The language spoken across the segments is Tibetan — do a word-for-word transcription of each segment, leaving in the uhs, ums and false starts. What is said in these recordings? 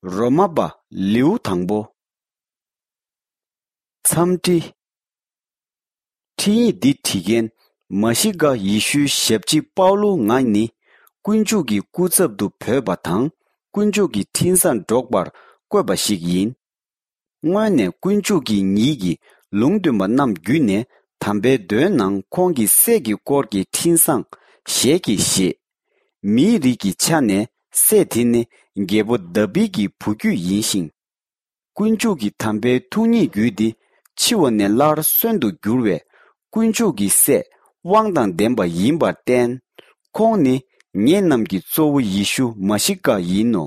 རོ་མ་པ་ལེའུ་དང་པོ། འཚམས་འདྲི། འཕྲིན་ཡིག་འདི་བྲིས་མཁན་མ་ཤི་ཀ་ཡེ་ཤུའི་ཞབས་ཕྱི་པའུ་ལོ་ང་ནི་དཀོན་མཆོག་གི་སྐུ་ཚབ་ཏུ་བོས་པ་དང་དཀོན་མཆོག་གི་འཕྲིན་བཟང་སྒྲོག་པར་བསྐོས་པ་ཞིག་ཡིན། སྔོན་ནས་དཀོན་མཆོག་གིས་ཉིད་ཀྱི་ལུང་སྟོན་པ་རྣམས་བརྒྱུད་ནས་དམ་པའི་མདོའི་ནང་ཁོང་གི་སྲས་ཀྱི་སྐོར་གྱི་འཕྲིན་བཟང་ཞལ་གྱིས་བཞེས། མིའི་རིགས་ཀྱི་ཆ་ནས་སྲས་དེ་ནི་རྒྱལ་པོ་དཱ་བིད་ཀྱི་བུ་རྒྱུད་ཡིན་ཞིང་། དཀོན་མཆོག་གི་དམ་པའི་ཐུགས་ཉིད་བརྒྱུད་དེ་འཆི་བ་ནས་སླར་གསོན་དུ་འགྱུར་བའི་དཀོན་མཆོག་གི་སྲས་དབང་དང་ལྡན་པ་ཡིན་པར་བརྟེན། ཁོང་ནི་ངེད་རྣམས་ཀྱི་གཙོ་བོ་ཡེ་ཤུ་མ་ཤི་ཀ་ཡིན་ནོ།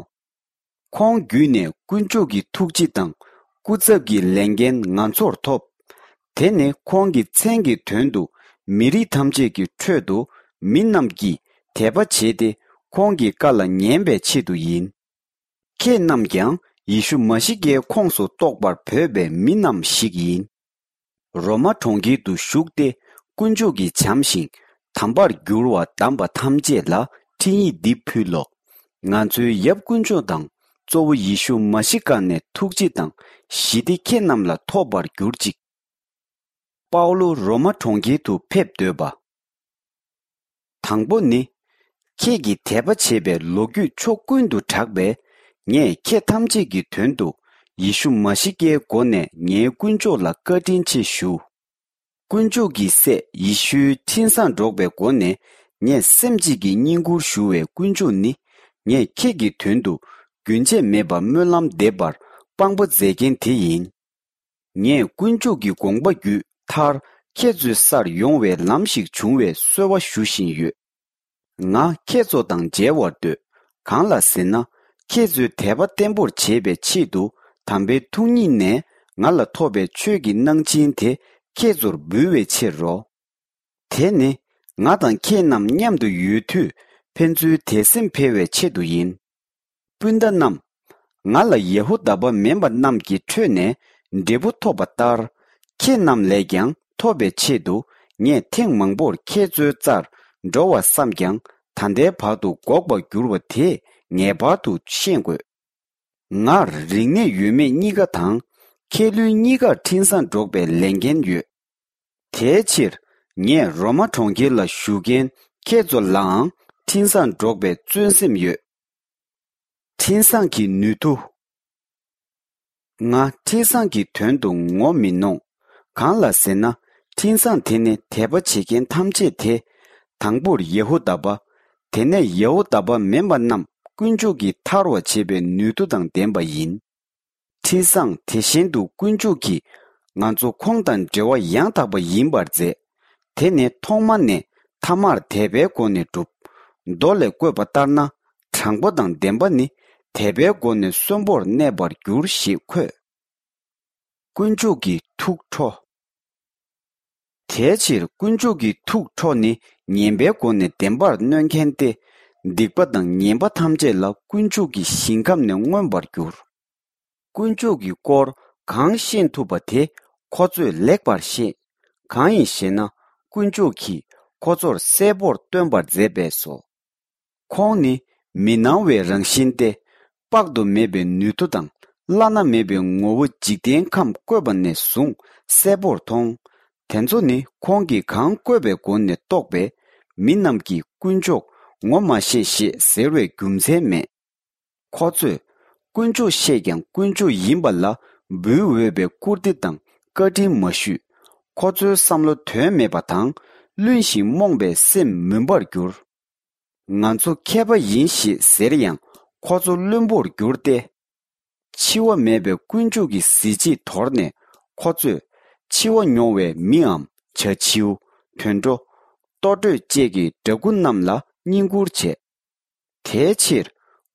ཁོང་བརྒྱུད་ནས་དཀོན་མཆོག་གི་ཐུགས་རྗེ་དང་སྐུ་ཚབ་ཀྱི་ལས་འགན་ང་ཚོར་ཐོབ། དེ་ནི་ཁོང་གི་མཚན་གྱི་དོན་དུ་མི་རིགས་ཐམས་ཅད་ཀྱི་ཁྲོད་དུ་མི་རྣམས་ཀྱིས་དད་པ་བྱས་ཏེ་ཁོང་གི་བཀའ་ལ་ཉན་པའི་ཆེད་དུ་ཡིན། ཁྱེད་རྣམས་ཀྱང་ཡེ་ཤུ་མ་ཤི་ཀའི་ཁོངས་སུ་གཏོགས་པར་བོས་པའི་མི་རྣམས་ཤིག་ཡིན། རོ་མ་གྲོང་ཁྱེར་དུ་བཞུགས་ཏེ་དཀོན་མཆོག་གི་བྱམས་ཤིང་དམ་པར་གྱུར་བ་བདམས་པ་ཐམས་ཅད་ལ་འཕྲིན་ཡིག་འདི་ཕུལ་ལོ། ང་ཚོའི་ཡབ་དཀོན་མཆོག་དང་གཙོ་བོ་ཡེ་ཤུ་མ་ཤི་ཀ་ནས་ཐུགས་རྗེ་དང་ཞི་བདེ་ཁྱེད་རྣམས་ལ་ཐོབ་པར་གྱུར་ཅིག། པའུ་ལོ་རོ་མ་གྲོང་ཁྱེར་དུ་ཕེབས་སྡོད་པ། དང་པོ་ནི། ཁྱེད་ཀྱིས་དད་པ་བྱེད་པའི་ལོ་རྒྱུས་ཕྱོགས་ཀུན་ཏུ་གྲགས་པས། ངས་ཁྱེད་ཐམས་ཅད་ཀྱི་དོན་དུ་ཡེ་ཤུ་མ་ཤི་ཀའི་སྒོ་ནས་ངའི་དཀོན་མཆོག་ལ་བཀའ་དྲིན་ཆེ་ཞུ། དཀོན་མཆོག་གི་སྲས་ཡེ་ཤུའི་འཕྲིན་བཟང་སྒྲོག་པའི་སྒོ་ནས་ངས་སེམས་གཅིག་གིས་བསྙེན་བཀུར་ཞུ་བའི་དཀོན་མཆོག་ནི། ངས་ཁྱེད་ཀྱི་དོན་དུ་རྒྱུན་ཆད་མེད་པར་སྨོན་ལམ་འདེབས་པར་དཔང་པོ་མཛད་མཁན་དེ་ཡིན། ངས་དཀོན་མཆོག་གི་དགོངས་པ་བརྒྱུད་མཐར་ཁྱེད་ཚོའི་སར་ཡོང་བའི་ལམ་ཞིག་བྱུང་བའི་གསོལ་བ་ཞུ་བཞིན་ཡོད། ང་ཁྱེད་ཚོ་དང་མཇལ་བར་འདོད། གང་ལ་ཟེར་ན། ཁྱེད་ཚོས་དད་པ་བརྟན་པོར་བྱེད་པའི་ཆེད་དུ་དམ་པའི་ཐུགས་ཉིད་ནས་ང་ལ་ཐོབ་པའི་ཆོས་ཀྱི་གནང་སྦྱིན་དེ་ཁྱེད་ཚོར་འབུལ་བའི་ཕྱིར་རོ། དེ་ནི་ང་དང་ཁྱེད་རྣམས་མཉམ་དུ་ཡོད་དུས་ཕན་ཚུན་དད་སེམས་འཕེལ་བའི་ཆེད་དུ་ཡིན། སྤུན་ཟླ་རྣམས། ང་ལ་ཡ་ཧུ་དཱ་པ་མིན་པ་རྣམས་ཀྱི་ཁྲོད་ནས་འབྲས་བུ་ཐོབ་པ་ལྟར། ཁྱེད་རྣམས་ལས་ཀྱང་ཐོབ་པའི་ཆེད་དུ་ངས་ཐེངས་མང་པོར་ཁྱེད་ཚོའི་རྩར་འགྲོ་བར་བསམས་ཀྱང་ད་ལྟའི་བར་དུ་འགོག་པར་འགྱུར་བ་དེ་ངེས་པར་དུ་ཤེས་དགོས། ངར་རིག་གནས་ཡོད་མེད་གཉིས་ཀ་དང་མཁས་བླུན་གཉིས་ཀར་འཕྲིན་བཟང་སྒྲོག་པའི་ལས་འགན་ཡོད། དེའི་ཕྱིར་ངས་རོ་མ་གྲོང་ཁྱེར་ལ་བཞུགས་མཁན་ཁྱེད་ཚོ་ལའང་འཕྲིན་བཟང་སྒྲོག་པའི་བརྩོན་སེམས་ཡོད། འཕྲིན་བཟང་གི་ནུས་མཐུ། ང་འཕྲིན་བཟང་གི་དོན་དུ་ངོ་མི་གནོང་། གང་ལ་ཟེར་ན། འཕྲིན་བཟང་དེ་ནི་དད་པ་བྱེད་མཁན་ཐམས་ཅད་དེ། དང་པོར་ཡ་ཧུ་དཱ་པ། དེ་ནས་ཡ་ཧུ་དཱ་པ་མིན་པ་རྣམས་དཀོན་མཆོག་གིས་ཐར་བར་བྱེད་པའི་ནུས་མཐུ་དང་ལྡན་པ་ཡིན། འཕྲིན་བཟང་དེ་བཞིན་དུ་དཀོན་མཆོག་གིས་ང་ཚོ་ཁོང་དང་འབྲེལ་བ་ཡང་དག་པ་ཡིན་པར་མཛད། དེ་ནི་ཐོག་མ་ནས་ཐ་མར་དད་པའི་སྒོ་ནས་གྲུབ། མདོ་ལས་བཀོད་པ་ལྟར་ན། དྲང་པོ་དང་བདེན་པ་ནི་དད་པའི་སྒོ་ནས་གསོན་པོར་གནས་པར་འགྱུར་ཞེས་འཁོད། དཀོན་མཆོག་གི་ཐུགས་ཁྲོ། དེའི་ཕྱིར་དཀོན་མཆོག་གི་ཐུགས་ཁྲོ་ནི་ངན་པའི་སྒོ་ནས་བདེན་པར་གནོན་མཁན་ཏེ། སྡིག་པ་དང་ངན་པ་ཐམས་ཅད་ལ་དཀོན་མཆོག་གི་ཞིང་ཁམས་ནས་མངོན་པར་འགྱུར། དཀོན་མཆོག་གི་སྐོར་གང་ཤེས་ཐུབ་པ་དེ་ཁོ་ཚོས་ལེགས་པར་ཤེས། གང་ཡིན་ཞེ་ན། དཀོན་མཆོག་གིས་ཁོ་ཚོར་གསལ་པོར་སྟོན་པར་མཛད་པས་སོ། ཁོང་ནི་མི་སྣང་བའི་རང་བཞིན་ཏེ། དཔག་ཏུ་མེད་པའི་ནུས་མཐུ་དང་བླ་ན་མེད་པའི་ངོ་བོ་འཇིག་རྟེན་ཁམས་བཀོད་པ་ནས་བཟུང་གསལ་པོར་མཐོང་། དེ་ཚོ་ནི་ཁོང་གིས་གང་བཀོད་པའི་སྒོ་ནས་རྟོགས་པས། མི་རྣམས་ཀྱིས་དཀོན་མཆོག་ངོ་མ་ཤེས་ཞེས་ཟེར་བའི་རྒྱུ་མཚན་མེད། ཁོ་ཚོས་དཀོན་མཆོག་ཤེས་ཀྱང་དཀོན་མཆོག་ཡིན་པ་ལ་འབུལ་འོས་པའི་བཀུར་སྟི་དང་བཀའ་དྲིན་མ་ཞུས། ཁོ་ཚོའི་བསམ་བློ་དོན་མེད་པ་དང་བླུན་ཞིང་རྨོངས་པའི་སེམས་མུན་པར་གྱུར། ང་ཚོ་མཁས་པ་ཡིན་ཞེས་ཟེར་ཡང་ཁོ་ཚོ་བླུན་པོར་གྱུར་ཏེ། འཆི་བ་མེད་པའི་དཀོན་མཆོག་གི་གཟི་བརྗིད་དོར་ནས་ཁོ་ཚོས་འཆི་བ་མྱོང་བའི་མིའམ་བྱ་བྱིའུ། དུད་འགྲོ། ལྟོ་འགྲོས་བཅས་ཀྱི་འདྲ་སྐུ་རྣམས་ལ་བསྙེན་བཀུར་བྱས། དེའི་ཕྱིར་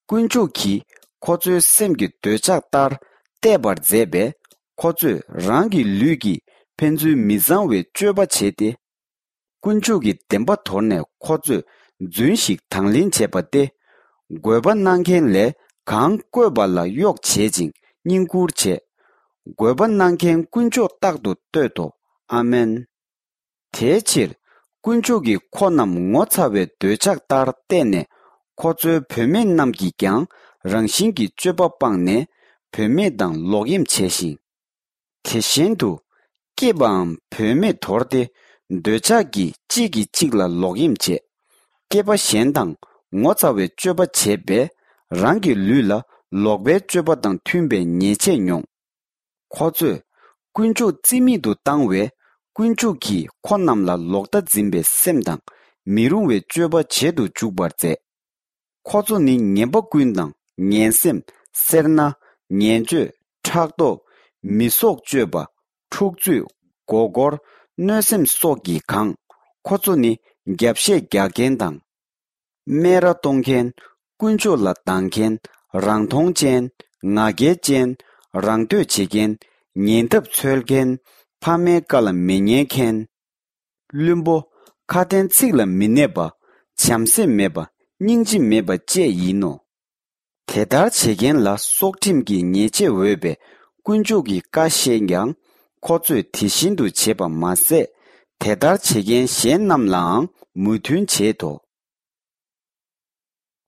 དཀོན་མཆོག་གིས་ཁོ་ཚོའི་སེམས་ཀྱི་འདོད་ཆགས་ལྟར་བརྟས་པར་མཛད་པས། ཁོ་ཚོས་རང་གི་ལུས་ཀྱིས་ཕན་ཚུན་མི་གཙང་བའི་སྤྱོད་པ་བྱས་ཏེ། དཀོན་མཆོག་གི་བདེན་པ་དོར་ནས་ཁོ་ཚོས་རྫུན་ཞིག་དང་ལེན་བྱས་པ་སྟེ། འགོད་པ་གནང་མཁན་ལས་གང་བསྐོས་པ་ལ་གཡོག་བྱེད་ཅིང་བསྙེན་བཀུར་བྱས། འགོད་པ་གནང་མཁན་དཀོན་མཆོག་རྟག་ཏུ་བསྟོད་དོ། ཨ་མེན། དེའི་ཕྱིར་དཀོན་མཆོག་གིས་ཁོ་རྣམས་ངོ་ཚ་བའི་འདོད་ཆགས་ལྟར་བལྟས་ནས། ཁོ་ཚོའི་བུད་མེད་རྣམས་ཀྱིས་ཀྱང་ རང་བཞིན་གྱི་སྤྱོད་པ་སྤངས་ནས་བུད་མེད་དང་ལོག་གཡེམ་བྱས་ཤིང་། དེ་བཞིན་དུ། སྐྱེས་པའམ་བུད་མེད་དོར་ཏེ། འདོད་ཆགས་ཀྱིས་གཅིག་གིས་གཅིག་ལ་ལོག་གཡེམ་བྱས། སྐྱེས་པ་གཞན་དང་ངོ་ཚ་བའི་སྤྱོད་པ་བྱས་པས། རང་གི་ལུས་ལ་ལོག་པའི་སྤྱོད་པ་དང་མཐུན་པའི་ཉེས་ཆད་མྱོང་། ཁོ་ཚོས་དཀོན་མཆོག་རྩིས་མེད་དུ་བཏང་བས། དཀོན་མཆོག་གིས་ཁོ་རྣམས་ལ་ལོག་ལྟ་འཛིན་པའི་སེམས་དང་། མི་རུང་བའི་སྤྱོད་པ་བྱེད་དུ་འཇུག་པར་མཛད། ཁོ་ཚོ་ནི་ངན་པ་ཀུན་དང་། ངན་སེམས། སེར་སྣ། ངན་སྤྱོད། ཕྲག་དོག། མི་སྲོག་གཅོད་པ། འཁྲུག་རྩོད། མགོ་སྐོར། གནོད་སེམས་སོགས་ཀྱིས་གང་། ཁོ་ཚོ་ནི་རྒྱབ་བཤད་རྒྱག་མཁན་དང་། སྨད་ར་གཏོང་མཁན། དཀོན་མཆོག་ལ་སྡང་མཁན། རང་མཐོང་ཅན། ང་རྒྱལ་ཅན། རང་འདོད་བྱེད་མཁན། ཉེ་འདབས་འཚོལ་མཁན། ཕ་མའི་བཀའ་ལ་མི་ཉན་མཁན། བླུན་པོ། ཁ་དན་ཚིག་ལ་མི་གནས་པ། བྱམས་སེམས་མེད་པ། སྙིང་རྗེ་མེད་པ་བཅས་ཡིན་ནོ། དེ་ལྟར་བྱེད་མཁན་ལ་སྲོག་ཁྲིམས་ཀྱི་ཉེས་ཆད་འོས་པའི་དཀོན་མཆོག་གི་བཀའ་བཤད་ཀྱང་། ཁོ་ཚོས་དེ་བཞིན་དུ་བྱེད་པ་མ་ཟད། དེ་ལྟར་བྱེད་མཁན་གཞན་རྣམས་ལའང་མོས་མཐུན་བྱེད་དོ།